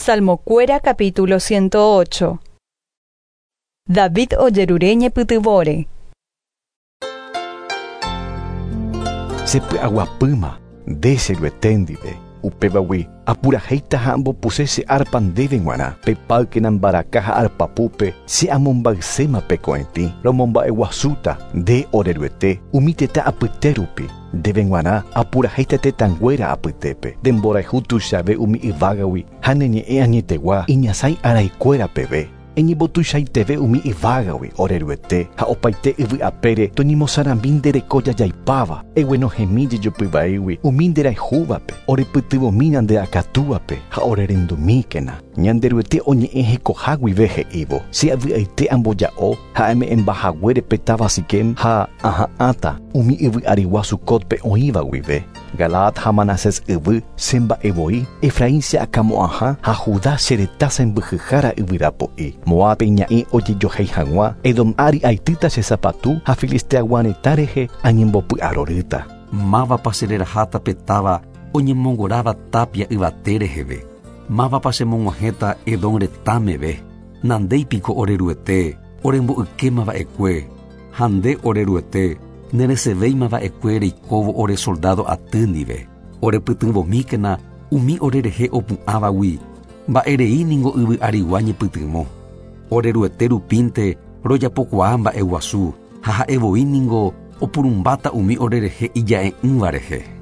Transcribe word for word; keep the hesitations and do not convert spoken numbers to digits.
Salmokuéra capítulo ciento ocho. David ojerure ñepytyvõre. Sepy'aguapýma nde che Ruete ndive. Upévagui apurahéita ha ambopuse che arpa ndéve g̃uarã. Pepáykena mbaraka ha arpapúpe che amombayséma pe ko'ẽtĩ. Romomba'eguasúta nde ore Ruete umi tetã apyte rupi. Ndéve g̃uarã apurahéita tetãnguéra apytépe. Ndemborayhu tuichave umi yvágagui ha ne ñe'ẽ añetegua iñasãi araikuéra peve. Eñembotuichaiteve umi yvágagui ore Ruete ha opaite yvy'apére toñemosãrambi nde reko jajaipáva. Eguenohẽmi jejopyvaígui umi nderayhúvape orepytyvõmi nde akatúvape ha orerendumíkena. Ñanderuete oñe'ẽ hekoha guive he'ívo. Che avy'aite amboja'o ha ame'ẽmbahaguére pe táva Siquem ha aha'ãta umi yvy'arigua Sucotpe oĩva guive. Galaad ha Manasés yvy che mba'evoi, Efraín che akamo'ãha ha Judá che retã sembyhyhára yvyrapo'i. Moápe iña'ẽ ojejohéi hag̃ua, Edom ári aitýta che sapatu ha Filisteagua retã rehe añembopy'arorýta. Mávapa chereraháta pe táva oñemongoráva tapia yvate reheve. Mávapa chemog̃uahẽta Edom retãmeve. Nandéipiko ore Ruete, oremboykémava'ekue. Ha nde ore Ruete, neresevéimava'ekue reikóvo ore soldado aty ndive. Orepytyvõmíkena umi orerehe opu'ãvagui. Mba'erei ningo yvy'arigua ñepytyvõ. Ore Ruete rupínte rojapokuaa mba'eguasu ha ha'evoi ningo opurumbáta umi orerehe ija'e'ỹva rehe.